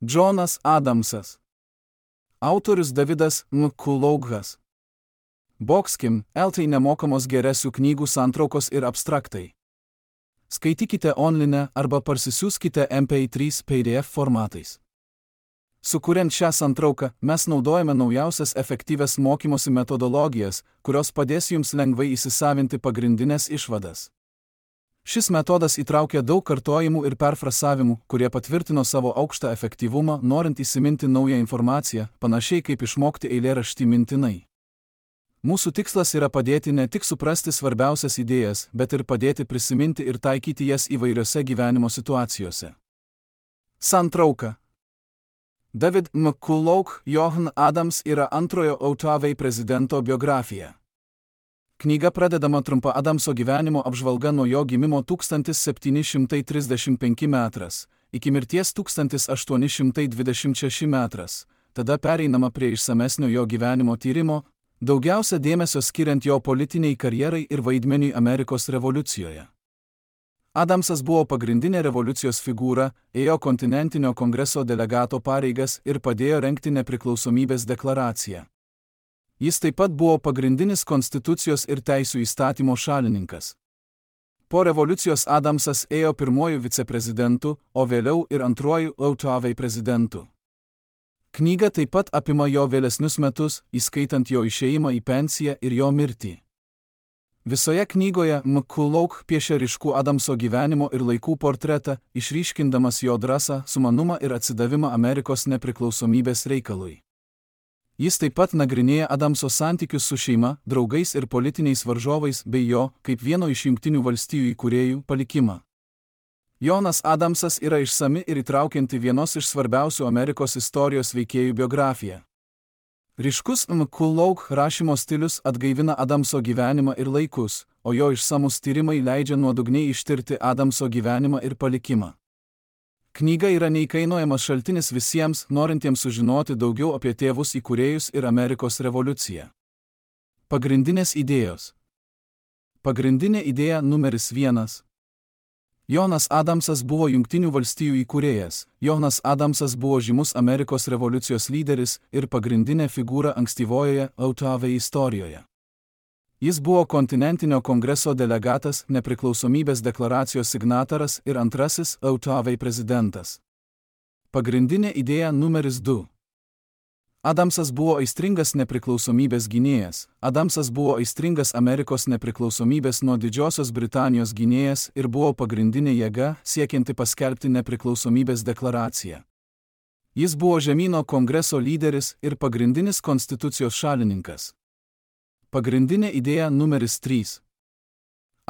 Džonas Adamsas. Autorius Davidas Mkuloughas. Boxkim, LT nemokamos geresių knygų santraukos ir abstraktai. Skaitykite online arba parsisiųskite MP3 PDF formatais. Sukuriant šią santrauką, mes naudojame naujausias efektyvias mokymosi metodologijas, kurios padės jums lengvai įsisavinti pagrindinės išvadas. Šis metodas įtraukia daug kartojimų ir perfrasavimų, kurie patvirtino savo aukštą efektyvumą, norint įsiminti naują informaciją, panašiai kaip išmokti eilėraštį mintinai. Mūsų tikslas yra padėti ne tik suprasti svarbiausias idėjas, bet ir padėti prisiminti ir taikyti jas įvairiose gyvenimo situacijose. Santrauka. David McCullough Johan Adams yra antrojo OTAV prezidento biografija. Knyga pradedama trumpa Adamso gyvenimo apžvalga nuo jo gimimo 1735 metras, iki mirties 1826 metras, tada pereinama prie išsamesnio jo gyvenimo tyrimo, daugiausia dėmesio skiriant jo politiniai karjerai ir vaidmeniui Amerikos revoliucijoje. Adamsas buvo pagrindinė revoliucijos figūra, ėjo kontinentinio kongreso delegato pareigas ir padėjo rengti nepriklausomybės deklaraciją. Jis taip pat buvo pagrindinis konstitucijos ir teisių įstatymo šalininkas. Po revoliucijos Adamsas ėjo pirmuoju viceprezidentu, o vėliau ir antruoju OTAV prezidentu. Knyga taip pat apima jo vėlesnius metus, įskaitant jo išėjimą į pensiją ir jo mirtį. Visoje knygoje McCullough piešia ryškų Adamso gyvenimo ir laikų portretą, išryškindamas jo drąsą, sumanumą ir atsidavimą Amerikos nepriklausomybės reikalui. Jis taip pat nagrinėja Adamso santykius su šeima, draugais ir politiniais varžovais bei jo, kaip vieno iš Jungtinių valstijų įkūrėjų, palikimą. Jonas Adamsas yra išsami ir įtraukianti vienos iš svarbiausių Amerikos istorijos veikėjų biografiją. Ryškus McCullough rašymo stilius atgaivina Adamso gyvenimą ir laikus, o jo išsamus tyrimai leidžia nuodugniai ištirti Adamso gyvenimą ir palikimą. Knyga yra neįkainojamas šaltinis visiems, norintiems sužinoti daugiau apie tėvus įkūrėjus ir Amerikos revoliuciją. Pagrindinės idėjos. Pagrindinė idėja numeris 1. Jonas Adamsas buvo Jungtinių valstijų įkūrėjas. Jonas Adamsas buvo žymus Amerikos revoliucijos lyderis ir pagrindinė figūra ankstyvojoje OTAV istorijoje. Jis buvo kontinentinio kongreso delegatas, nepriklausomybės deklaracijos signataras ir antrasis OTAV prezidentas. Pagrindinė idėja numeris 2. Adamsas buvo aistringas nepriklausomybės gynėjas. Adamsas buvo aistringas Amerikos nepriklausomybės nuo Didžiosios Britanijos gynėjas ir buvo pagrindinė jėga, siekianti paskelbti nepriklausomybės deklaraciją. Jis buvo žemyno kongreso lyderis ir pagrindinis konstitucijos šalininkas. Pagrindinė idėja numeris 3.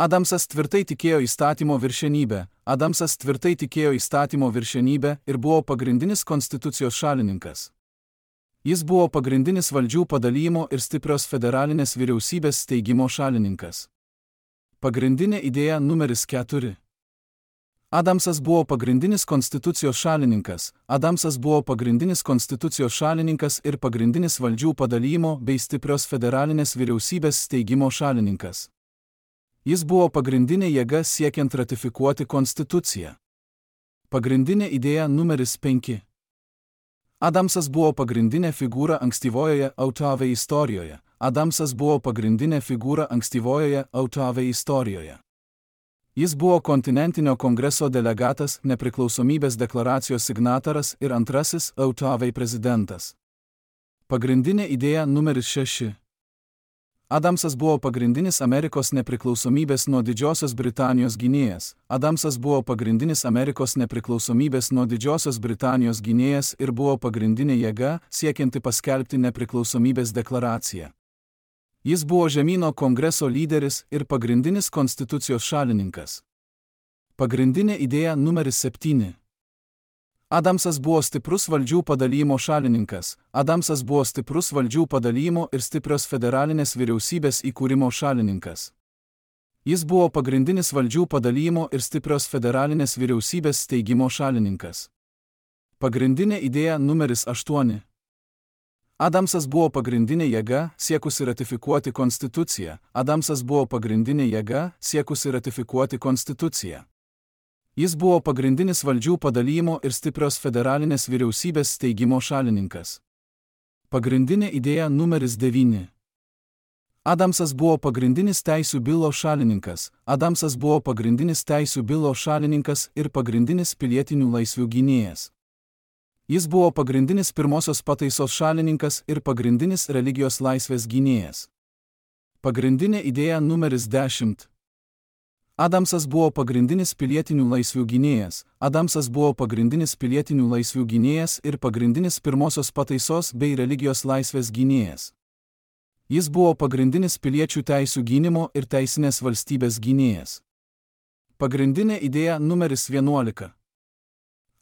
Adamsas tvirtai tikėjo įstatymo viršenybę. Adamsas tvirtai tikėjo įstatymo viršenybę ir buvo pagrindinis konstitucijos šalininkas. Jis buvo pagrindinis valdžių padalijimo ir stiprios federalinės vyriausybės steigimo šalininkas. Pagrindinė idėja numeris 4. Adamsas buvo pagrindinis konstitucijos šalininkas. Adamsas buvo pagrindinis konstitucijos šalininkas ir pagrindinis valdžių padalijimo bei stiprios federalinės vyriausybės steigimo šalininkas. Jis buvo pagrindinė jėga siekiant ratifikuoti konstituciją. Pagrindinė idėja numeris 5. Adamsas buvo pagrindinė figūra ankstyvojoje OTAV istorijoje. Adamsas buvo pagrindinė figūra ankstyvojoje OTAV istorijoje. Jis buvo kontinentinio kongreso delegatas, nepriklausomybės deklaracijos signataras ir antrasis OTAV prezidentas. Pagrindinė idėja numeris 6. Adamsas buvo pagrindinis Amerikos nepriklausomybės nuo Didžiosios Britanijos gynėjas. Adamsas buvo pagrindinis Amerikos nepriklausomybės nuo Didžiosios Britanijos gynėjas ir buvo pagrindinė jėga, siekianti paskelbti nepriklausomybės deklaraciją. Jis buvo žemyno kongreso lyderis ir pagrindinis konstitucijos šalininkas. Pagrindinė idėja numeris 7. Adamsas buvo stiprus valdžių padalijimo šalininkas. Adamsas buvo stiprus valdžių padalijimo ir stiprios federalinės vyriausybės įkūrimo šalininkas. Jis buvo pagrindinis valdžių padalijimo ir stiprios federalinės vyriausybės steigimo šalininkas. Pagrindinė idėja numeris 8. Adamsas buvo pagrindinė jėga, siekusi ratifikuoti konstituciją. Adamsas buvo pagrindinė jėga, siekusi ratifikuoti konstituciją. Jis buvo pagrindinis valdžių padalijimo ir stiprios federalinės vyriausybės steigimo šalininkas. Pagrindinė idėja numeris 9. Adamsas buvo pagrindinis teisių bylo šalininkas. Adamsas buvo pagrindinis teisių bylo šalininkas ir pagrindinis pilietinių laisvių gynėjas. Jis buvo pagrindinis pirmosios pataisos šalininkas ir pagrindinis religijos laisvės gynėjas. Pagrindinė idėja numeris 10. Adamsas buvo pagrindinis pilietinių laisvių gynėjas. Adamsas buvo pagrindinis pilietinių laisvių gynėjas ir pagrindinis pirmosios pataisos bei religijos laisvės gynėjas. Jis buvo pagrindinis piliečių teisių gynimo ir teisinės valstybės gynėjas. Pagrindinė idėja numeris 11.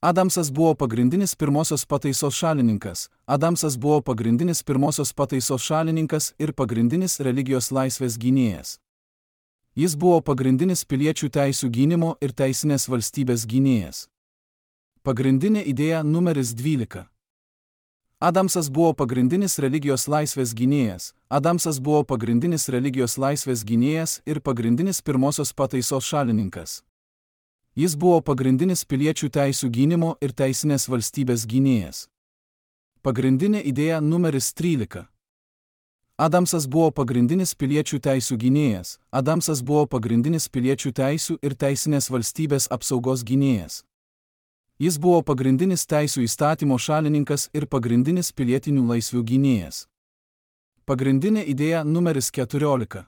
Adamsas buvo pagrindinis pirmosios pataisos šalininkas. Adamsas buvo pagrindinis pirmosios pataisos šalininkas ir pagrindinis religijos laisvės gynėjas. Jis buvo pagrindinis piliečių teisių gynimo ir teisinės valstybės gynėjas. Pagrindinė idėja numeris 12. Adamsas buvo pagrindinis religijos laisvės gynėjas. Adamsas buvo pagrindinis religijos laisvės gynėjas ir pagrindinis pirmosios pataisos šalininkas. Jis buvo pagrindinis piliečių teisių gynimo ir teisinės valstybės gynėjas. Pagrindinė idėja numeris 13. Adamsas buvo pagrindinis piliečių teisių gynėjas. Adamsas buvo pagrindinis piliečių teisių ir teisinės valstybės apsaugos gynėjas. Jis buvo pagrindinis teisių įstatymo šalininkas ir pagrindinis pilietinių laisvių gynėjas. Pagrindinė idėja numeris 14.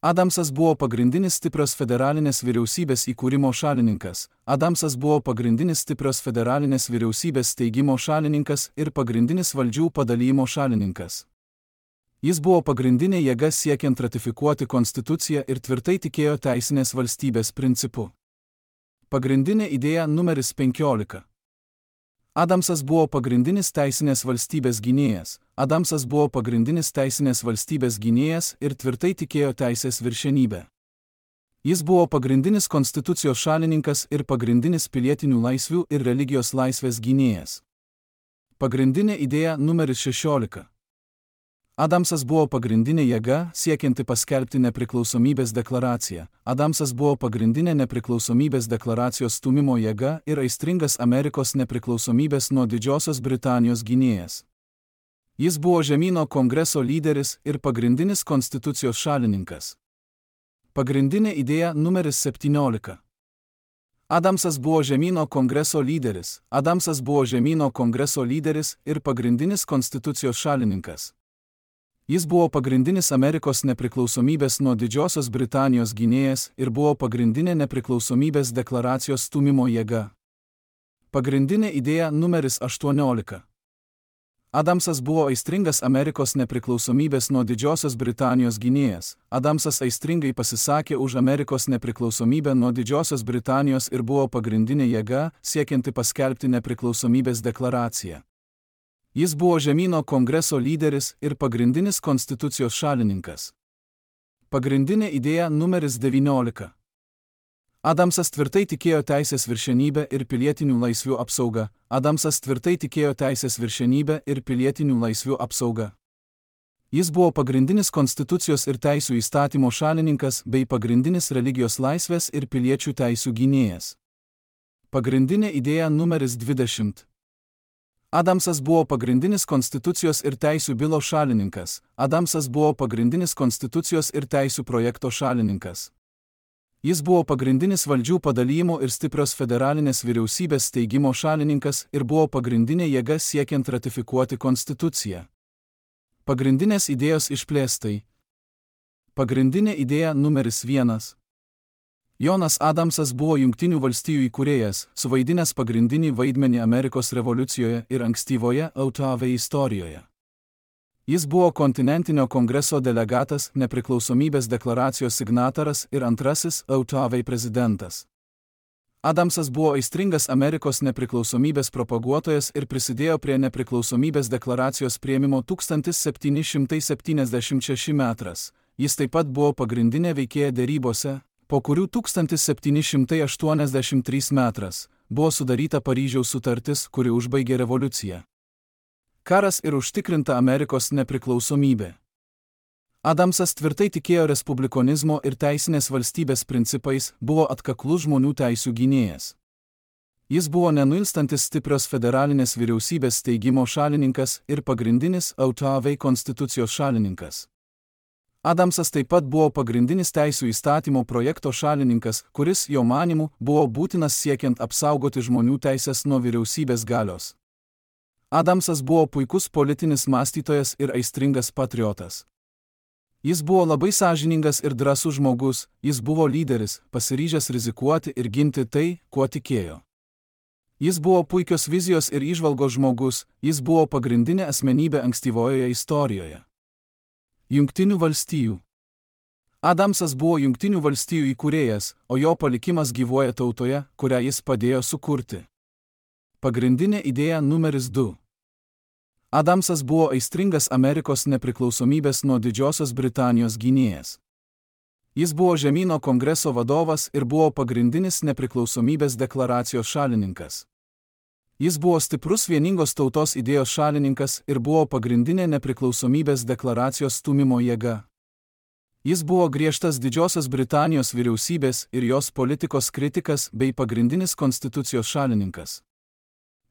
Adamsas buvo pagrindinis stiprios federalinės vyriausybės įkūrimo šalininkas. Adamsas buvo pagrindinis stiprios federalinės vyriausybės steigimo šalininkas ir pagrindinis valdžių padalijimo šalininkas. Jis buvo pagrindinė jėga siekiant ratifikuoti konstituciją ir tvirtai tikėjo teisinės valstybės principu. Pagrindinė idėja numeris 15. Adamsas buvo pagrindinis teisinės valstybės gynėjas. Adamsas buvo pagrindinis teisinės valstybės gynėjas ir tvirtai tikėjo teisės viršenybę. Jis buvo pagrindinis konstitucijos šalininkas ir pagrindinis pilietinių laisvių ir religijos laisvės gynėjas. Pagrindinė idėja numeris 16. Adamsas buvo pagrindinė jėga siekianti paskelbti nepriklausomybės deklaraciją. Adamsas buvo pagrindinė nepriklausomybės deklaracijos stūmimo jėga ir aistringas Amerikos nepriklausomybės nuo Didžiosios Britanijos gynėjas. Jis buvo žemyno kongreso lyderis ir pagrindinis konstitucijos šalininkas. Pagrindinė idėja numeris 17. Adamsas buvo žemyno kongreso lyderis. Adamsas buvo žemyno kongreso lyderis ir pagrindinis konstitucijos šalininkas. Jis buvo pagrindinis Amerikos nepriklausomybės nuo Didžiosios Britanijos gynėjas ir buvo pagrindinė nepriklausomybės deklaracijos stūmimo jėga. Pagrindinė idėja numeris 18. Adamsas buvo aistringas Amerikos nepriklausomybės nuo Didžiosios Britanijos gynėjas. Adamsas aistringai pasisakė už Amerikos nepriklausomybę nuo Didžiosios Britanijos ir buvo pagrindinė jėga siekianti paskelbti nepriklausomybės deklaraciją. Jis buvo žemyno kongreso lyderis ir pagrindinis konstitucijos šalininkas. Pagrindinė idėja numeris 19. Adamsas tvirtai tikėjo teisės viršenybę ir pilietinių laisvių apsaugą. Adamsas tvirtai tikėjo teisės viršenybę ir pilietinių laisvių apsaugą. Jis buvo pagrindinis konstitucijos ir teisių įstatymo šalininkas bei pagrindinis religijos laisvės ir piliečių teisių gynėjas. Pagrindinė idėja numeris 20. Adamsas buvo pagrindinis konstitucijos ir teisių bylo šalininkas. Adamsas buvo pagrindinis konstitucijos ir teisių projekto šalininkas. Jis buvo pagrindinis valdžių padalijimo ir stiprios federalinės vyriausybės steigimo šalininkas ir buvo pagrindinė jėga siekiant ratifikuoti konstituciją. Pagrindinės idėjos išplėstai. Pagrindinė idėja numeris 1. Jonas Adamsas buvo Jungtinių valstijų įkūrėjas, suvaidinęs pagrindinį vaidmenį Amerikos revoliucijoje ir ankstyvoje AUTV istorijoje. Jis buvo kontinentinio kongreso delegatas, nepriklausomybės deklaracijos signataras ir antrasis AUTV prezidentas. Adamsas buvo aistringas Amerikos nepriklausomybės propaguotojas ir prisidėjo prie nepriklausomybės deklaracijos priėmimo 1776 metras. Jis taip pat buvo pagrindinė veikėja derybose, po kurių 1783 metras buvo sudaryta Paryžiaus sutartis, kuri užbaigė revoliuciją. Karas ir užtikrinta Amerikos nepriklausomybė. Adamsas tvirtai tikėjo respublikonizmo ir teisinės valstybės principais, buvo atkaklus žmonių teisių gynėjas. Jis buvo nenuilstantis stiprios federalinės vyriausybės steigimo šalininkas ir pagrindinis AUTV konstitucijos šalininkas. Adamsas taip pat buvo pagrindinis teisių įstatymo projekto šalininkas, kuris, jo manymu, buvo būtinas siekiant apsaugoti žmonių teisės nuo vyriausybės galios. Adamsas buvo puikus politinis mąstytojas ir aistringas patriotas. Jis buvo labai sąžiningas ir drąsus žmogus, jis buvo lyderis, pasiryžęs rizikuoti ir ginti tai, kuo tikėjo. Jis buvo puikios vizijos ir įžvalgos žmogus, jis buvo pagrindinė asmenybė ankstyvojoje istorijoje. Jungtinių valstijų. Adamsas buvo Jungtinių valstijų įkūrėjas, o jo palikimas gyvuoja tautoje, kurią jis padėjo sukurti. Pagrindinė idėja numeris 2. Adamsas buvo aistringas Amerikos nepriklausomybės nuo Didžiosios Britanijos gynėjas. Jis buvo žemyno kongreso vadovas ir buvo pagrindinis nepriklausomybės deklaracijos šalininkas. Jis buvo stiprus vieningos tautos idėjos šalininkas ir buvo pagrindinė nepriklausomybės deklaracijos stūmimo jėga. Jis buvo griežtas Didžiosios Britanijos vyriausybės ir jos politikos kritikas bei pagrindinis konstitucijos šalininkas.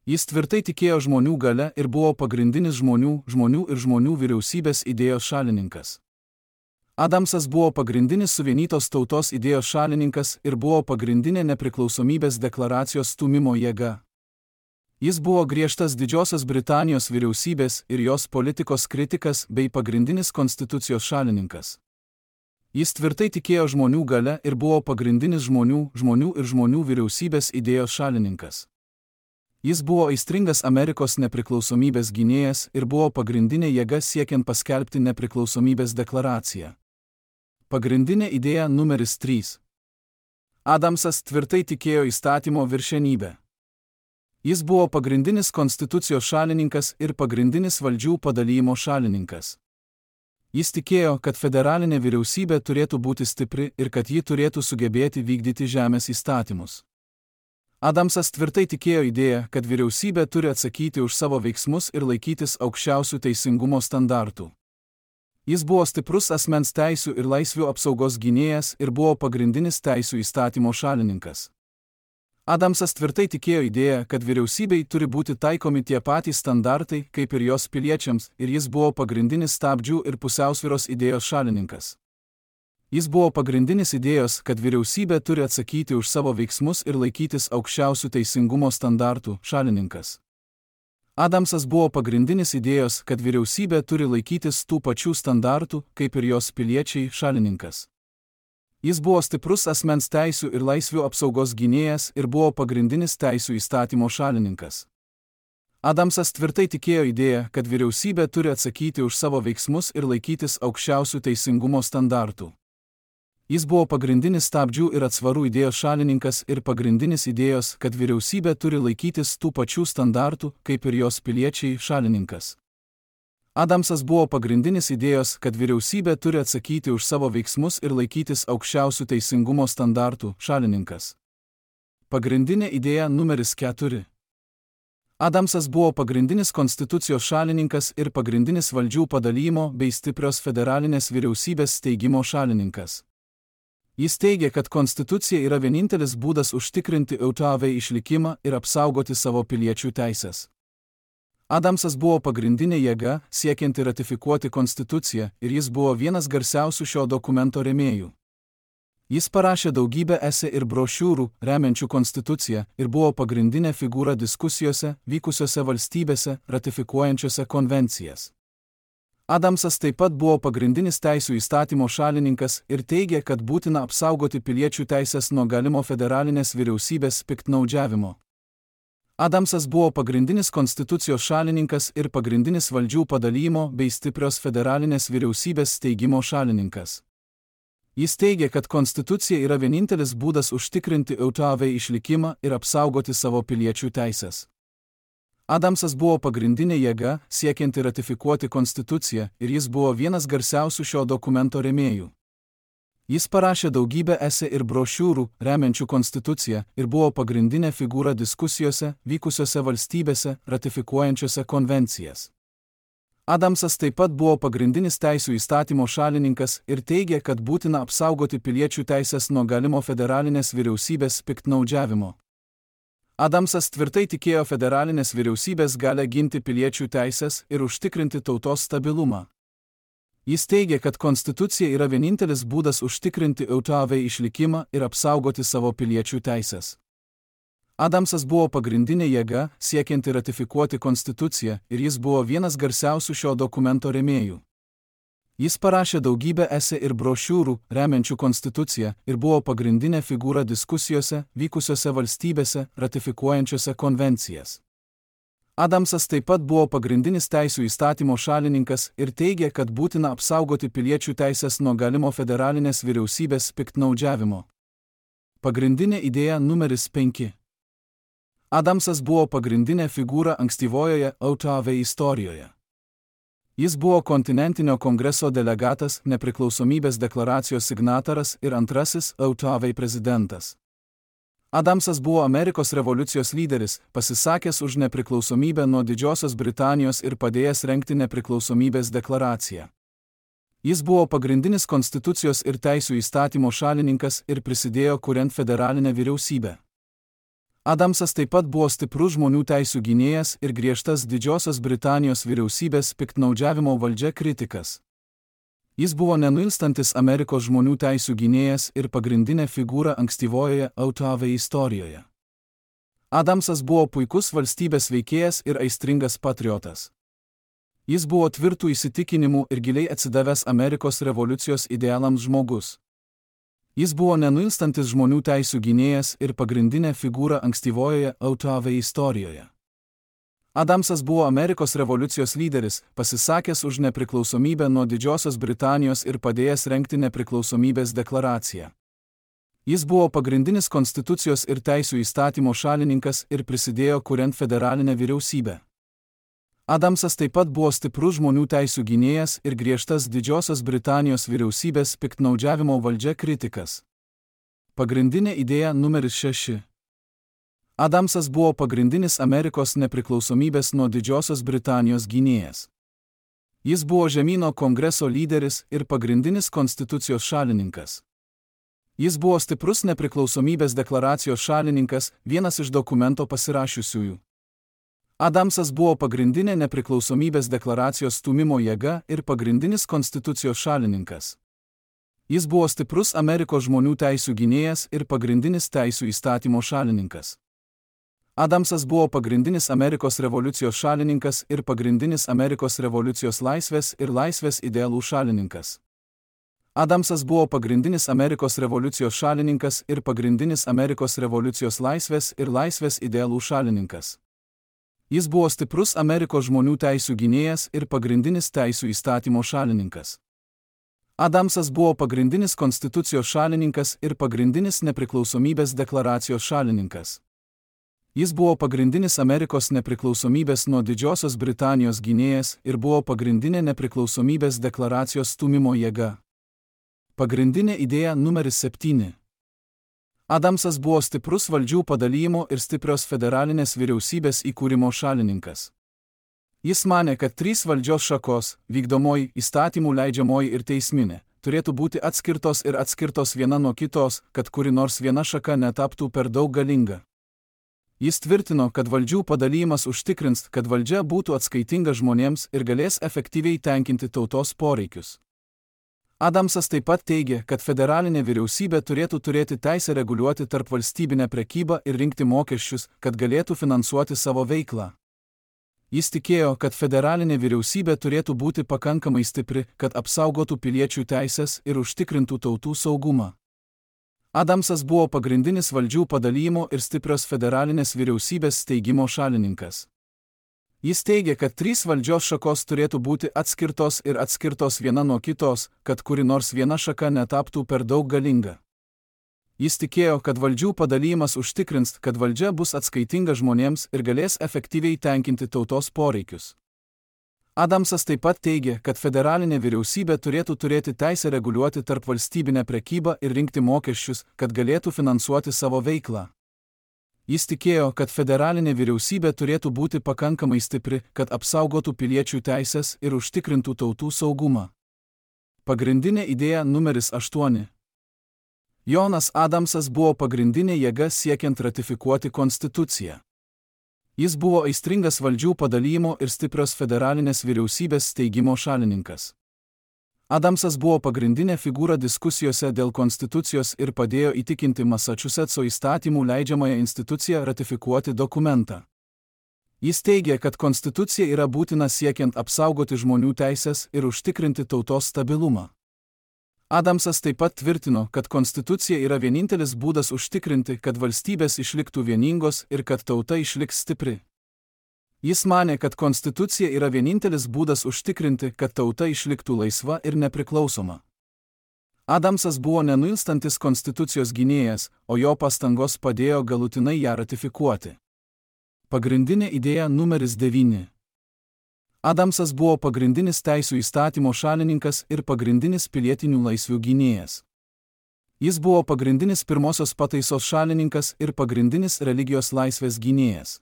Jis tvirtai tikėjo žmonių galia ir buvo pagrindinis žmonių vyriausybės idėjos šalininkas. Adamsas buvo pagrindinis suvienytos tautos idėjos šalininkas ir buvo pagrindinė nepriklausomybės deklaracijos stūmimo jėga. Jis buvo griežtas Didžiosios Britanijos vyriausybės ir jos politikos kritikas bei pagrindinis konstitucijos šalininkas. Jis tvirtai tikėjo žmonių galia ir buvo pagrindinis žmonių vyriausybės idėjos šalininkas. Jis buvo aistringas Amerikos nepriklausomybės gynėjas ir buvo pagrindinė jėga siekiant paskelbti nepriklausomybės deklaraciją. Pagrindinė idėja numeris 3. Adamsas tvirtai tikėjo įstatymo viršenybę. Jis buvo pagrindinis konstitucijos šalininkas ir pagrindinis valdžių padalijimo šalininkas. Jis tikėjo, kad federalinė vyriausybė turėtų būti stipri ir kad ji turėtų sugebėti vykdyti žemės įstatymus. Adamsas tvirtai tikėjo idėją, kad vyriausybė turi atsakyti už savo veiksmus ir laikytis aukščiausių teisingumo standartų. Jis buvo stiprus asmens teisių ir laisvių apsaugos gynėjas ir buvo pagrindinis teisių įstatymo šalininkas. Adamsas tvirtai tikėjo idėją, kad vyriausybei turi būti taikomi tie patys standartai, kaip ir jos piliečiams, ir jis buvo pagrindinis stabdžių ir pusiausvyros idėjos šalininkas. Jis buvo pagrindinis idėjos, kad vyriausybė turi atsakyti už savo veiksmus ir laikytis aukščiausių teisingumo standartų šalininkas. Adamsas buvo pagrindinis idėjos, kad vyriausybė turi laikytis tų pačių standartų, kaip ir jos piliečiai šalininkas. Jis buvo stiprus asmens teisių ir laisvių apsaugos gynėjas ir buvo pagrindinis teisių įstatymo šalininkas. Adamsas tvirtai tikėjo idėją, kad vyriausybė turi atsakyti už savo veiksmus ir laikytis aukščiausių teisingumo standartų. Jis buvo pagrindinis stabdžių ir atsvarų idėjos šalininkas ir pagrindinis idėjos, kad vyriausybė turi laikytis tų pačių standartų, kaip ir jos piliečiai šalininkas. Adamsas buvo pagrindinis idėjos, kad vyriausybė turi atsakyti už savo veiksmus ir laikytis aukščiausių teisingumo standartų šalininkas. Pagrindinė idėja numeris 4. Adamsas buvo pagrindinis konstitucijos šalininkas ir pagrindinis valdžių padalijimo bei stiprios federalinės vyriausybės steigimo šalininkas. Jis teigė, kad konstitucija yra vienintelis būdas užtikrinti AUTV išlikimą ir apsaugoti savo piliečių teisės. Adamsas buvo pagrindinė jėga, siekianti ratifikuoti konstituciją, ir jis buvo vienas garsiausių šio dokumento rėmėjų. Jis parašė daugybę esė ir brošiūrų, remiančių konstituciją, ir buvo pagrindinė figūra diskusijose, vykusiose valstybėse, ratifikuojančiose konvencijas. Adamsas taip pat buvo pagrindinis teisių įstatymo šalininkas ir teigė, kad būtina apsaugoti piliečių teisės nuo galimo federalinės vyriausybės piktnaudžiavimo. Adamsas buvo pagrindinis konstitucijos šalininkas ir pagrindinis valdžių padalijimo bei stiprios federalinės vyriausybės steigimo šalininkas. Jis teigė, kad konstitucija yra vienintelis būdas užtikrinti AUTV išlikimą ir apsaugoti savo piliečių teisės. Adamsas buvo pagrindinė jėga, siekianti ratifikuoti konstituciją, ir jis buvo vienas garsiausių šio dokumento rėmėjų. Jis parašė daugybę esė ir brošiūrų, remiančių konstituciją, ir buvo pagrindinė figūra diskusijose, vykusiose valstybėse, ratifikuojančiose konvencijas. Adamsas taip pat buvo pagrindinis teisių įstatymo šalininkas ir teigė, kad būtina apsaugoti piliečių teisės nuo galimo federalinės vyriausybės piktnaudžiavimo. Adamsas tvirtai tikėjo federalinės vyriausybės galią ginti piliečių teisės ir užtikrinti tautos stabilumą. Jis teigė, kad konstitucija yra vienintelis būdas užtikrinti autoave išlikimą ir apsaugoti savo piliečių teisės. Adamsas buvo pagrindinė jėga, siekianti ratifikuoti konstituciją, ir jis buvo vienas garsiausių šio dokumento rėmėjų. Jis parašė daugybę esė ir brošiūrų, remiančių konstituciją, ir buvo pagrindinė figūra diskusijose, vykusiose valstybėse, ratifikuojančiose konvencijas. Adamsas taip pat buvo pagrindinis teisių įstatymo šalininkas ir teigė, kad būtina apsaugoti piliečių teisės nuo galimo federalinės vyriausybės piktnaudžiavimo. Pagrindinė idėja numeris 5. Adamsas buvo pagrindinė figūra ankstyvojoje autoave istorijoje. Jis buvo kontinentinio kongreso delegatas, nepriklausomybės deklaracijos signataras ir antrasis autoave prezidentas. Adamsas buvo Amerikos revoliucijos lyderis, pasisakęs už nepriklausomybę nuo Didžiosios Britanijos ir padėjęs rengti nepriklausomybės deklaraciją. Jis buvo pagrindinis konstitucijos ir teisių įstatymo šalininkas ir prisidėjo kuriant federalinę vyriausybę. Adamsas taip pat buvo stiprus žmonių teisių gynėjas ir griežtas Didžiosios Britanijos vyriausybės piktnaudžiavimo valdžia kritikas. Jis buvo nenuilstantis Amerikos žmonių teisių gynėjas ir pagrindinė figūra ankstyvojoje autoave istorijoje. Adamsas buvo puikus valstybės veikėjas ir aistringas patriotas. Jis buvo tvirtų įsitikinimų ir giliai atsidavęs Amerikos revoliucijos idealams žmogus. Jis buvo nenuilstantis žmonių teisių gynėjas ir pagrindinė figūra ankstyvojoje autoave istorijoje. Adamsas buvo Amerikos revoliucijos lyderis, pasisakęs už nepriklausomybę nuo Didžiosios Britanijos ir padėjęs rengti nepriklausomybės deklaraciją. Jis buvo pagrindinis konstitucijos ir teisių įstatymo šalininkas ir prisidėjo kuriant federalinę vyriausybę. Adamsas taip pat buvo stiprus žmonių teisių gynėjas ir griežtas Didžiosios Britanijos vyriausybės piktnaudžiavimo valdžia kritikas. Pagrindinė idėja numeris 6. Adamsas buvo pagrindinis Amerikos nepriklausomybės nuo Didžiosios Britanijos gynėjas. Jis buvo žemyno kongreso lyderis ir pagrindinis konstitucijos šalininkas. Jis buvo stiprus nepriklausomybės deklaracijos šalininkas, vienas iš dokumento pasirašiusiųjų. Adamsas buvo pagrindinė nepriklausomybės deklaracijos stūmimo jėga ir pagrindinis konstitucijos šalininkas. Jis buvo stiprus Amerikos žmonių teisių gynėjas ir pagrindinis teisių įstatymo šalininkas. Adamsas buvo pagrindinis Amerikos revoliucijos šalininkas ir pagrindinis Amerikos revoliucijos laisvės ir laisvės idealų šalininkas. Adamsas buvo pagrindinis Amerikos revoliucijos šalininkas ir pagrindinis Amerikos revoliucijos laisvės ir laisvės idealų šalininkas. Jis buvo stiprus Amerikos žmonių teisių gynėjas ir pagrindinis teisių įstatymo šalininkas. Adamsas buvo pagrindinis konstitucijos šalininkas ir pagrindinis nepriklausomybės deklaracijos šalininkas. Jis buvo pagrindinis Amerikos nepriklausomybės nuo Didžiosios Britanijos gynėjas ir buvo pagrindinė nepriklausomybės deklaracijos stūmimo jėga. Pagrindinė idėja numeris 7. Adamsas buvo stiprus valdžių padalijimo ir stiprios federalinės vyriausybės įkūrimo šalininkas. Jis manė, kad 3 valdžios šakos – vykdomoji, įstatymų leidžiamoji ir teisminė – turėtų būti atskirtos viena nuo kitos, kad kuri nors viena šaka netaptų per daug galinga. Jis tvirtino, kad valdžių padalijimas užtikrins, kad valdžia būtų atskaitinga žmonėms ir galės efektyviai tenkinti tautos poreikius. Adamsas taip pat teigė, kad federalinė vyriausybė turėtų turėti teisę reguliuoti tarpvalstybinę prekybą ir rinkti mokesčius, kad galėtų finansuoti savo veiklą. Jis tikėjo, kad federalinė vyriausybė turėtų būti pakankamai stipri, kad apsaugotų piliečių teisės ir užtikrintų tautų saugumą. Adamsas buvo pagrindinis valdžių padalijimo ir stiprios federalinės vyriausybės steigimo šalininkas. Jis teigė, kad 3 valdžios šakos turėtų būti atskirtos viena nuo kitos, kad kuri nors viena šaka netaptų per daug galinga. Jis tikėjo, kad valdžių padalijimas užtikrins, kad valdžia bus atskaitinga žmonėms ir galės efektyviai tenkinti tautos poreikius. Adamsas taip pat teigė, kad federalinė vyriausybė turėtų turėti teisę reguliuoti tarpvalstybinę prekybą ir rinkti mokesčius, kad galėtų finansuoti savo veiklą. Jis tikėjo, kad federalinė vyriausybė turėtų būti pakankamai stipri, kad apsaugotų piliečių teisės ir užtikrintų tautų saugumą. Pagrindinė idėja numeris 8. Jonas Adamsas buvo pagrindinė jėga siekiant ratifikuoti konstituciją. Jis buvo aistringas valdžių padalijimo ir stiprios federalinės vyriausybės steigimo šalininkas. Adamsas buvo pagrindinė figūra diskusijose dėl konstitucijos ir padėjo įtikinti Masačusetso įstatymų leidžiamąją instituciją ratifikuoti dokumentą. Jis teigė, kad konstitucija yra būtina siekiant apsaugoti žmonių teisės ir užtikrinti tautos stabilumą. Adamsas taip pat tvirtino, kad konstitucija yra vienintelis būdas užtikrinti, kad valstybės išliktų vieningos ir kad tauta išliks stipri. Jis manė, kad konstitucija yra vienintelis būdas užtikrinti, kad tauta išliktų laisva ir nepriklausoma. Adamsas buvo nenuilstantis konstitucijos gynėjas, o jo pastangos padėjo galutinai ją ratifikuoti. Pagrindinė idėja numeris 9. Adamsas buvo pagrindinis teisų įstatymo šalininkas ir pagrindinis pilietinių laisvių gynėjas. Jis buvo pagrindinis pirmosios pataisos šalininkas ir pagrindinis religijos laisvės gynėjas.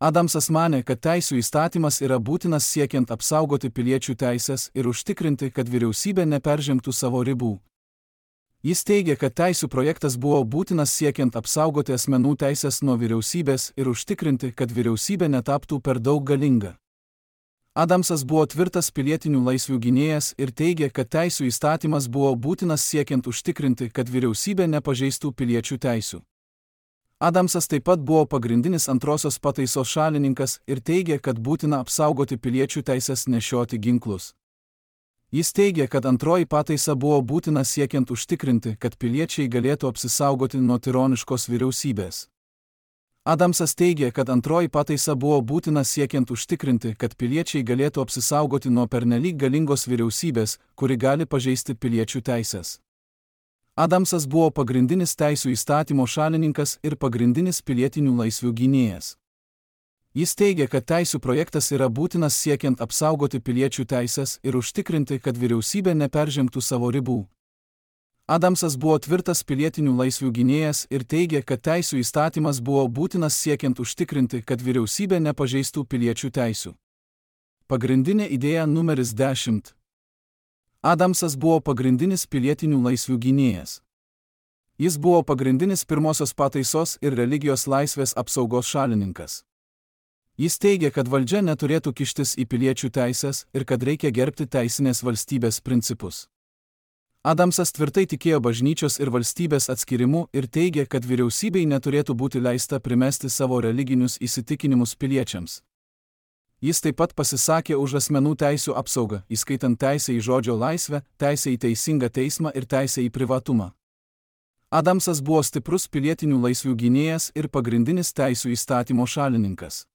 Adamsas manė, kad teisų įstatymas yra būtinas siekiant apsaugoti piliečių teisės ir užtikrinti, kad vyriausybė neperžengtų savo ribų. Jis teigė, kad teisų projektas buvo būtinas siekiant apsaugoti asmenų teisės nuo vyriausybės ir užtikrinti, kad vyriausybė netaptų per daug galinga. Adamsas buvo tvirtas pilietinių laisvių gynėjas ir teigė, kad teisų įstatymas buvo būtinas siekiant užtikrinti, kad vyriausybė nepažeistų piliečių teisių. Adamsas taip pat buvo pagrindinis antrosios pataisos šalininkas ir teigė, kad būtina apsaugoti piliečių teisės nešioti ginklus. Jis teigė, kad antroji pataisa buvo būtina siekiant užtikrinti, kad piliečiai galėtų apsisaugoti nuo tironiškos vyriausybės. Adamsas teigė, kad antroji pataisa buvo būtina siekiant užtikrinti, kad piliečiai galėtų apsisaugoti nuo pernelyg galingos vyriausybės, kuri gali pažeisti piliečių teisės. Adamsas buvo pagrindinis teisų įstatymo šalininkas ir pagrindinis pilietinių laisvių gynėjas. Jis teigė, kad teisų projektas yra būtinas siekiant apsaugoti piliečių teisės ir užtikrinti, kad vyriausybė neperžengtų savo ribų. Adamsas buvo tvirtas pilietinių laisvių gynėjas ir teigė, kad teisų įstatymas buvo būtinas siekiant užtikrinti, kad vyriausybė nepažeistų piliečių teisių. Pagrindinė idėja numeris 10. Adamsas buvo pagrindinis pilietinių laisvių gynėjas. Jis buvo pagrindinis pirmosios pataisos ir religijos laisvės apsaugos šalininkas. Jis teigė, kad valdžia neturėtų kištis į piliečių teisės ir kad reikia gerbti teisinės valstybės principus. Adamsas tvirtai tikėjo bažnyčios ir valstybės atskirimu ir teigė, kad vyriausybei neturėtų būti leista primesti savo religinius įsitikinimus piliečiams. Jis taip pat pasisakė už asmenų teisių apsaugą, įskaitant teisę į žodžio laisvę, teisę į teisingą teismą ir teisę į privatumą. Adamsas buvo stiprus pilietinių laisvių gynėjas ir pagrindinis teisų įstatymo šalininkas.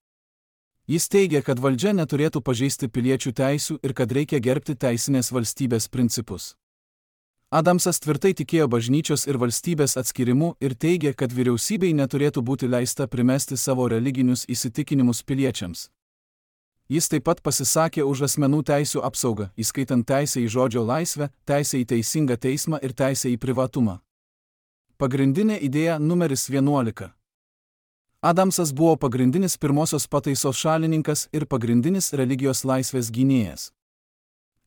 Jis teigė, kad valdžia neturėtų pažeisti piliečių teisių ir kad reikia gerbti teisinės valstybės principus. Adamsas tvirtai tikėjo bažnyčios ir valstybės atskirimu ir teigė, kad vyriausybei neturėtų būti leista primesti savo religinius įsitikinimus piliečiams. Jis taip pat pasisakė už asmenų teisių apsaugą, įskaitant teisę į žodžio laisvę, teisę į teisingą teismą ir teisę į privatumą. Pagrindinė idėja numeris 11. Adamsas buvo pagrindinis pirmosios pataisos šalininkas ir pagrindinis religijos laisvės gynėjas.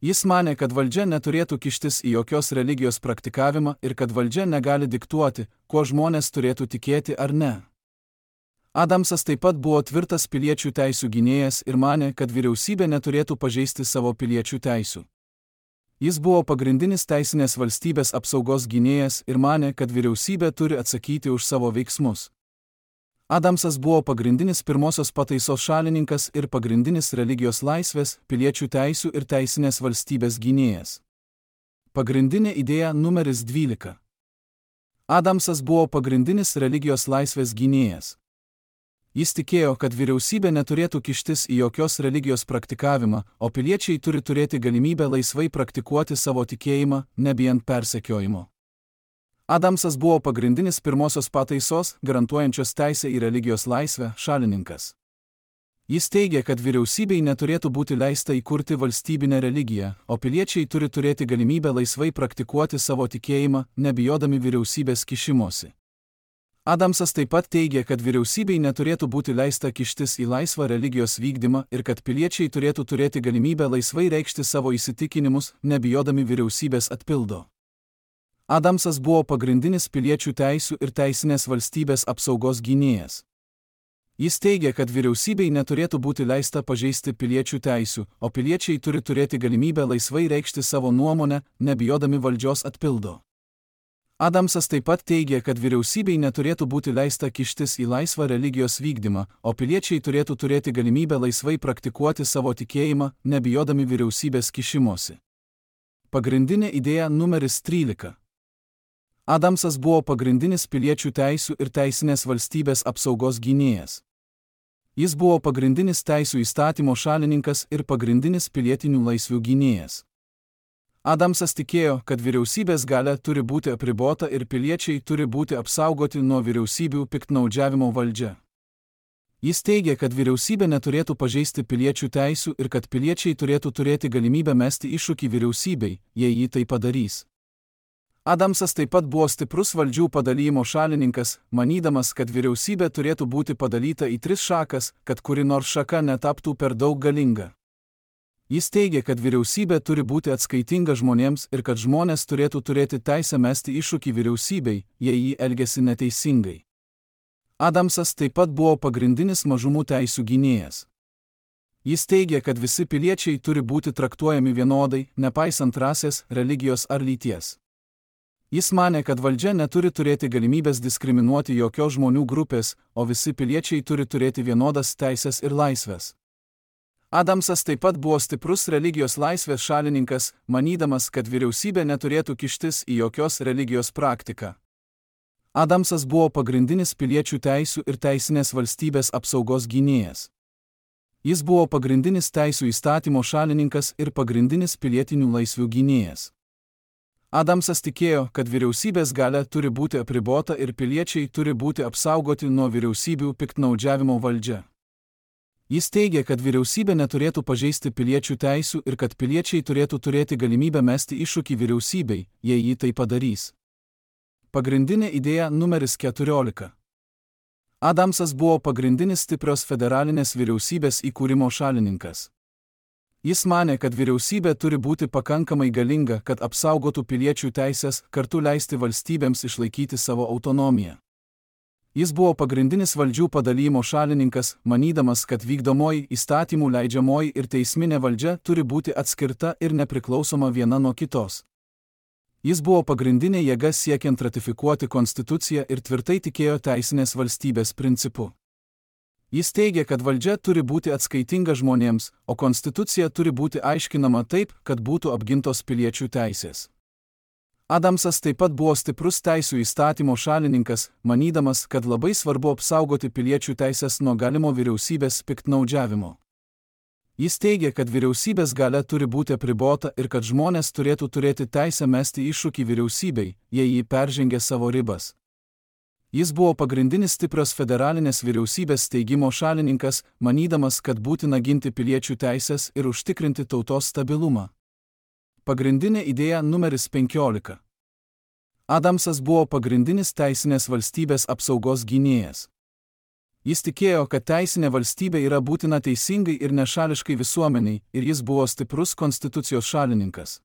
Jis manė, kad valdžia neturėtų kištis į jokios religijos praktikavimą ir kad valdžia negali diktuoti, kuo žmonės turėtų tikėti ar ne. Adamsas taip pat buvo tvirtas piliečių teisių gynėjas ir manė, kad vyriausybė neturėtų pažeisti savo piliečių teisių. Jis buvo pagrindinis teisinės valstybės apsaugos gynėjas ir manė, kad vyriausybė turi atsakyti už savo veiksmus. Adamsas buvo pagrindinis pirmosios pataisos šalininkas ir pagrindinis religijos laisvės, piliečių teisių ir teisinės valstybės gynėjas. Pagrindinė idėja numeris 12. Adamsas buvo pagrindinis religijos laisvės gynėjas. Jis tikėjo, kad vyriausybė neturėtų kištis į jokios religijos praktikavimą, o piliečiai turi turėti galimybę laisvai praktikuoti savo tikėjimą, nebijant persekiojimo. Adamsas buvo pagrindinis pirmosios pataisos, garantuojančios teisę į religijos laisvę, šalininkas. Jis teigė, kad vyriausybei neturėtų būti leista įkurti valstybinę religiją, o piliečiai turi turėti galimybę laisvai praktikuoti savo tikėjimą, nebijodami vyriausybės kišimosi. Adamsas taip pat teigia, kad vyriausybei neturėtų būti leista kištis į laisvą religijos vykdymą ir kad piliečiai turėtų turėti galimybę laisvai reikšti savo įsitikinimus, nebijodami vyriausybės atpildo. Adamsas buvo pagrindinis piliečių teisių ir teisinės valstybės apsaugos gynėjas. Jis teigia, kad vyriausybei neturėtų būti leista pažeisti piliečių teisių, o piliečiai turi turėti galimybę laisvai reikšti savo nuomonę, nebijodami valdžios atpildo. Adamsas taip pat teigia, kad vyriausybei neturėtų būti leista kištis į laisvą religijos vykdymą, o piliečiai turėtų turėti galimybę laisvai praktikuoti savo tikėjimą, nebijodami vyriausybės kišimosi. Pagrindinė idėja numeris 13. Adamsas buvo pagrindinis piliečių teisių ir teisinės valstybės apsaugos gynėjas. Jis buvo pagrindinis teisių įstatymo šalininkas ir pagrindinis pilietinių laisvių gynėjas. Adamsas tikėjo, kad vyriausybės galia turi būti apribota ir piliečiai turi būti apsaugoti nuo vyriausybių piktnaudžiavimo valdžia. Jis teigia, kad vyriausybė neturėtų pažeisti piliečių teisių ir kad piliečiai turėtų turėti galimybę mesti iššūkį vyriausybei, jei ji tai padarys. Adamsas taip pat buvo stiprus valdžių padalijimo šalininkas, manydamas, kad vyriausybė turėtų būti padalyta į 3 šakas, kad kuri nors šaka netaptų per daug galinga. Jis teigia, kad vyriausybė turi būti atskaitinga žmonėms ir kad žmonės turėtų turėti teisę mesti iššūkį vyriausybei, jei ji elgiasi neteisingai. Adamsas taip pat buvo pagrindinis mažumų teisių gynėjas. Jis teigia, kad visi piliečiai turi būti traktuojami vienodai, nepaisant rasės, religijos ar lyties. Jis manė, kad valdžia neturi turėti galimybės diskriminuoti jokios žmonių grupės, o visi piliečiai turi turėti vienodas teisės ir laisvės. Adamsas taip pat buvo stiprus religijos laisvės šalininkas, manydamas, kad vyriausybė neturėtų kištis į jokios religijos praktiką. Adamsas buvo pagrindinis piliečių teisių ir teisinės valstybės apsaugos gynėjas. Jis buvo pagrindinis teisių įstatymo šalininkas ir pagrindinis pilietinių laisvių gynėjas. Adamsas tikėjo, kad vyriausybės galia turi būti apribota ir piliečiai turi būti apsaugoti nuo vyriausybių piktnaudžiavimo valdžia. Jis teigia, kad vyriausybė neturėtų pažeisti piliečių teisių ir kad piliečiai turėtų turėti galimybę mesti iššūkį vyriausybei, jei ji tai padarys. Pagrindinė idėja numeris 14. Adamsas buvo pagrindinis stiprios federalinės vyriausybės įkūrimo šalininkas. Jis manė, kad vyriausybė turi būti pakankamai galinga, kad apsaugotų piliečių teisės, kartu leisti valstybėms išlaikyti savo autonomiją. Jis buvo pagrindinis valdžių padalijimo šalininkas, manydamas, kad vykdomoji, įstatymų leidžiamoji ir teisminė valdžia turi būti atskirta ir nepriklausoma viena nuo kitos. Jis buvo pagrindinė jėga siekiant ratifikuoti konstituciją ir tvirtai tikėjo teisinės valstybės principu. Jis teigia, kad valdžia turi būti atskaitinga žmonėms, o konstitucija turi būti aiškinama taip, kad būtų apgintos piliečių teisės. Adamsas taip pat buvo stiprus teisių įstatymo šalininkas, manydamas, kad labai svarbu apsaugoti piliečių teisės nuo galimo vyriausybės piktnaudžiavimo. Jis teigia, kad vyriausybės galia turi būti apribota ir kad žmonės turėtų turėti teisę mesti iššūkį vyriausybei, jei ji peržengia savo ribas. Jis buvo pagrindinis stiprios federalinės vyriausybės steigimo šalininkas, manydamas, kad būtina ginti piliečių teisės ir užtikrinti tautos stabilumą. Pagrindinė idėja numeris 15. Adamsas buvo pagrindinis teisinės valstybės apsaugos gynėjas. Jis tikėjo, kad teisinė valstybė yra būtina teisingai ir nešališkai visuomeniai, ir jis buvo stiprus konstitucijos šalininkas.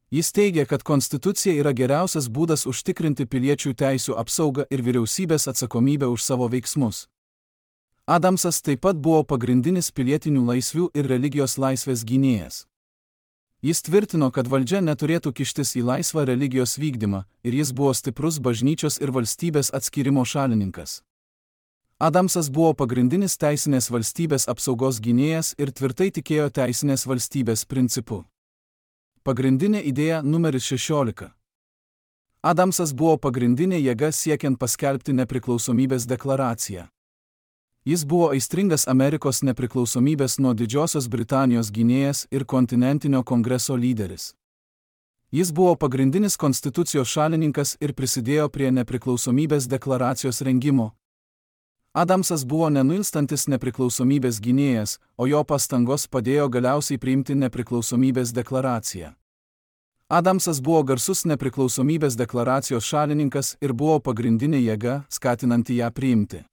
Jis teigia, kad konstitucija yra geriausias būdas užtikrinti piliečių teisių apsaugą ir vyriausybės atsakomybę už savo veiksmus. Adamsas taip pat buvo pagrindinis pilietinių laisvių ir religijos laisvės gynėjas. Jis tvirtino, kad valdžia neturėtų kištis į laisvą religijos vykdymą, ir jis buvo stiprus bažnyčios ir valstybės atskyrimo šalininkas. Adamsas buvo pagrindinis teisinės valstybės apsaugos gynėjas ir tvirtai tikėjo teisinės valstybės principu. Pagrindinė idėja numeris 16. Adamsas buvo pagrindinė jėga siekiant paskelbti nepriklausomybės deklaraciją. Jis buvo aistringas Amerikos nepriklausomybės nuo Didžiosios Britanijos gynėjas ir kontinentinio kongreso lyderis. Jis buvo pagrindinis konstitucijos šalininkas ir prisidėjo prie nepriklausomybės deklaracijos rengimo. Adamsas buvo nenuilstantis nepriklausomybės gynėjas, o jo pastangos padėjo galiausiai priimti nepriklausomybės deklaraciją. Adamsas buvo garsus nepriklausomybės deklaracijos šalininkas ir buvo pagrindinė jėga, skatinanti ją priimti.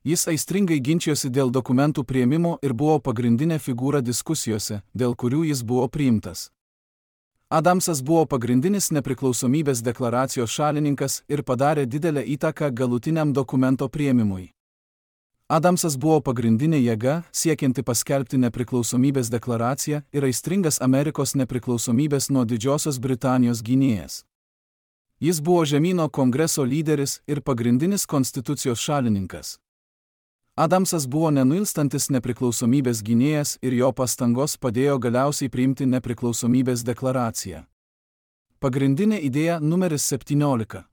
Jis aistringai ginčijosi dėl dokumentų priėmimo ir buvo pagrindinė figūra diskusijose, dėl kurių jis buvo priimtas. Adamsas buvo pagrindinis nepriklausomybės deklaracijos šalininkas ir padarė didelę įtaką galutiniam dokumento priėmimui. Adamsas buvo pagrindinė jėga, siekianti paskelbti nepriklausomybės deklaraciją ir aistringas Amerikos nepriklausomybės nuo Didžiosios Britanijos gynėjas. Jis buvo žemyno kongreso lyderis ir pagrindinis konstitucijos šalininkas. Adamsas buvo nenuilstantis nepriklausomybės gynėjas ir jo pastangos padėjo galiausiai priimti nepriklausomybės deklaraciją. Pagrindinė idėja numeris 17.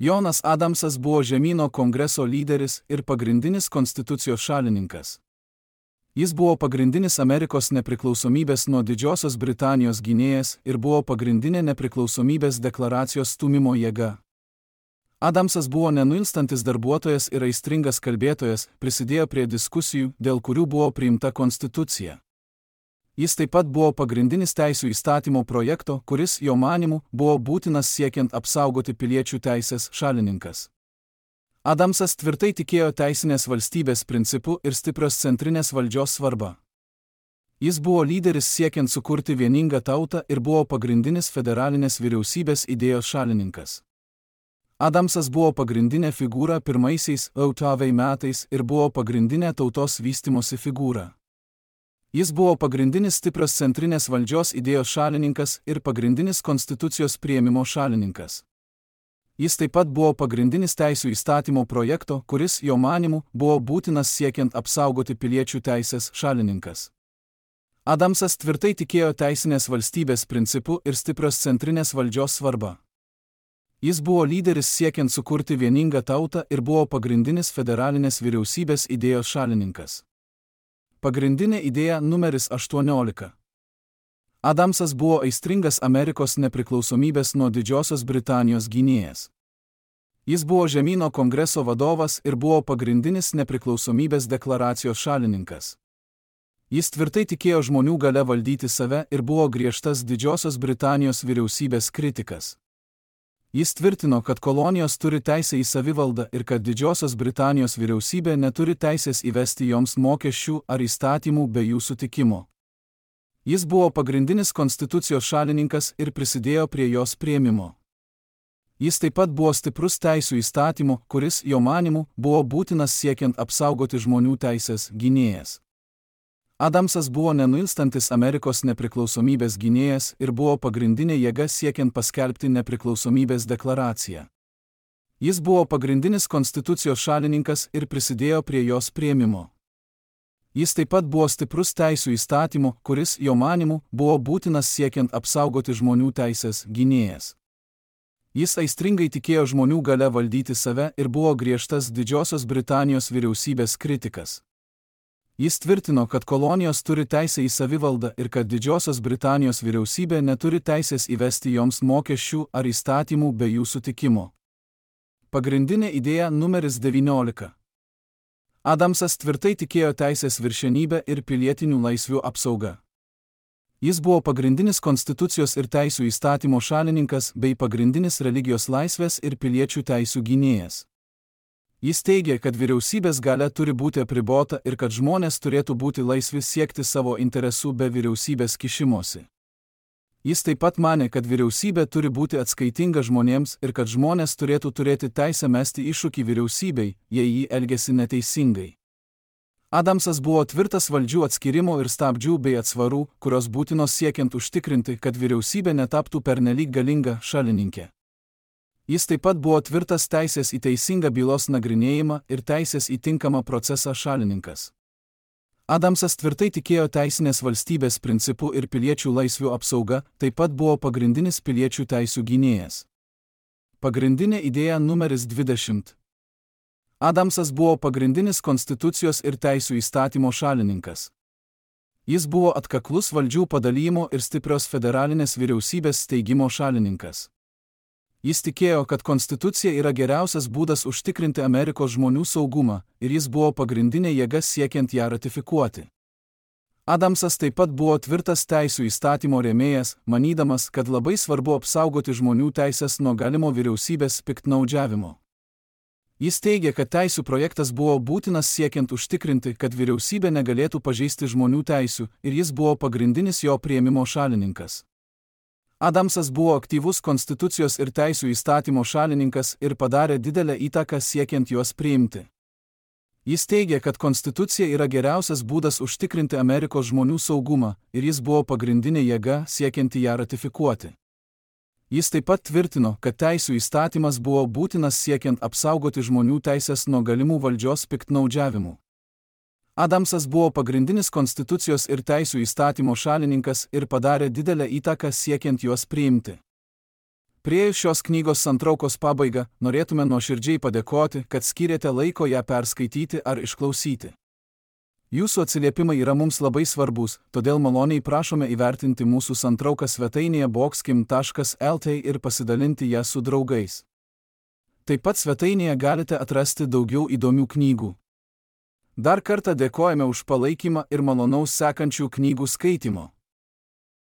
Jonas Adamsas buvo žemyno kongreso lyderis ir pagrindinis konstitucijos šalininkas. Jis buvo pagrindinis Amerikos nepriklausomybės nuo Didžiosios Britanijos gynėjas ir buvo pagrindinė nepriklausomybės deklaracijos stūmimo jėga. Adamsas buvo nenuilstantis darbuotojas ir aistringas kalbėtojas, prisidėjo prie diskusijų, dėl kurių buvo priimta konstitucija. Jis taip pat buvo pagrindinis teisių įstatymo projekto, kuris, jo manymu, buvo būtinas siekiant apsaugoti piliečių teisės šalininkas. Adamsas tvirtai tikėjo teisinės valstybės principų ir stiprios centrinės valdžios svarbą. Jis buvo lyderis siekiant sukurti vieningą tautą ir buvo pagrindinis federalinės vyriausybės idėjos šalininkas. Adamsas buvo pagrindinė figūra pirmaisiais OTAV metais ir buvo pagrindinė tautos vystymosi figūra. Jis buvo pagrindinis stiprios centrinės valdžios idėjos šalininkas ir pagrindinis konstitucijos priėmimo šalininkas. Jis taip pat buvo pagrindinis teisių įstatymo projekto, kuris, jo manymu, buvo būtinas siekiant apsaugoti piliečių teisės šalininkas. Adamsas tvirtai tikėjo teisinės valstybės principų ir stiprios centrinės valdžios svarbą. Jis buvo lyderis siekiant sukurti vieningą tautą ir buvo pagrindinis federalinės vyriausybės idėjos šalininkas. Pagrindinė idėja numeris 18. Adamsas buvo aistringas Amerikos nepriklausomybės nuo Didžiosios Britanijos gynėjas. Jis buvo žemyno kongreso vadovas ir buvo pagrindinis nepriklausomybės deklaracijos šalininkas. Jis tvirtai tikėjo žmonių galia valdyti save ir buvo griežtas Didžiosios Britanijos vyriausybės kritikas. Jis tvirtino, kad kolonijos turi teisę į savivaldą ir kad Didžiosios Britanijos vyriausybė neturi teisės įvesti joms mokesčių ar įstatymų be jų sutikimo. Jis buvo pagrindinis konstitucijos šalininkas ir prisidėjo prie jos priėmimo. Jis taip pat buvo stiprus teisių įstatymų, kuris, jo manymu, buvo būtinas siekiant apsaugoti žmonių teisės gynėjas. Adamsas buvo nenuilstantis Amerikos nepriklausomybės gynėjas ir buvo pagrindinė jėga siekiant paskelbti nepriklausomybės deklaraciją. Jis buvo pagrindinis konstitucijos šalininkas ir prisidėjo prie jos priėmimo. Jis taip pat buvo stiprus teisių įstatymų, kuris, jo manymu, buvo būtinas siekiant apsaugoti žmonių teisės gynėjas. Jis aistringai tikėjo žmonių galia valdyti save ir buvo griežtas Didžiosios Britanijos vyriausybės kritikas. Jis tvirtino, kad kolonijos turi teisę į savivaldą ir kad Didžiosios Britanijos vyriausybė neturi teisės įvesti joms mokesčių ar įstatymų be jų sutikimo. Pagrindinė idėja numeris 19. Adamsas tvirtai tikėjo teisės viršenybę ir pilietinių laisvių apsaugą. Jis buvo pagrindinis konstitucijos ir teisių įstatymo šalininkas bei pagrindinis religijos laisvės ir piliečių teisių gynėjas. Jis teigė, kad vyriausybės galia turi būti apribota ir kad žmonės turėtų būti laisvi siekti savo interesų be vyriausybės kišimosi. Jis taip pat manė, kad vyriausybė turi būti atskaitinga žmonėms ir kad žmonės turėtų turėti teisę mesti iššūkį vyriausybei, jei jį elgėsi neteisingai. Adamsas buvo tvirtas valdžių atskirimo ir stabdžių bei atsvarų, kurios būtinos siekiant užtikrinti, kad vyriausybė netaptų pernelyg galinga šalininkė. Jis taip pat buvo tvirtas teisės į teisingą bylos nagrinėjimą ir teisės į tinkamą procesą šalininkas. Adamsas tvirtai tikėjo teisinės valstybės principų ir piliečių laisvių apsauga, taip pat buvo pagrindinis piliečių teisių gynėjas. Pagrindinė idėja numeris 20. Adamsas buvo pagrindinis konstitucijos ir teisių įstatymo šalininkas. Jis buvo atkaklus valdžių padalijimo ir stiprios federalinės vyriausybės steigimo šalininkas. Jis tikėjo, kad konstitucija yra geriausias būdas užtikrinti Amerikos žmonių saugumą ir jis buvo pagrindinė jėga siekiant ją ratifikuoti. Adamsas taip pat buvo tvirtas teisų įstatymo rėmėjas, manydamas, kad labai svarbu apsaugoti žmonių teisės nuo galimo vyriausybės piktnaudžiavimo. Jis teigė, kad teisų projektas buvo būtinas siekiant užtikrinti, kad vyriausybė negalėtų pažeisti žmonių teisių, ir jis buvo pagrindinis jo priėmimo šalininkas. Adamsas buvo aktyvus konstitucijos ir teisų įstatymo šalininkas ir padarė didelę įtaką siekiant juos priimti. Jis teigė, kad konstitucija yra geriausias būdas užtikrinti Amerikos žmonių saugumą, ir jis buvo pagrindinė jėga siekianti ją ratifikuoti. Jis taip pat tvirtino, kad teisų įstatymas buvo būtinas siekiant apsaugoti žmonių teisės nuo galimų valdžios piktnaudžiavimų. Adamsas buvo pagrindinis konstitucijos ir teisų įstatymo šalininkas ir padarė didelę įtaką siekiant juos priimti. Priėjus šios knygos santraukos pabaigą, norėtume nuoširdžiai padėkoti, kad skyrėte laiko ją perskaityti ar išklausyti. Jūsų atsiliepimai yra mums labai svarbus, todėl maloniai prašome įvertinti mūsų santrauką svetainėje boxkim.lt ir pasidalinti ją su draugais. Taip pat svetainėje galite atrasti daugiau įdomių knygų. Dar kartą dėkojame už palaikymą ir malonaus sekančių knygų skaitimo.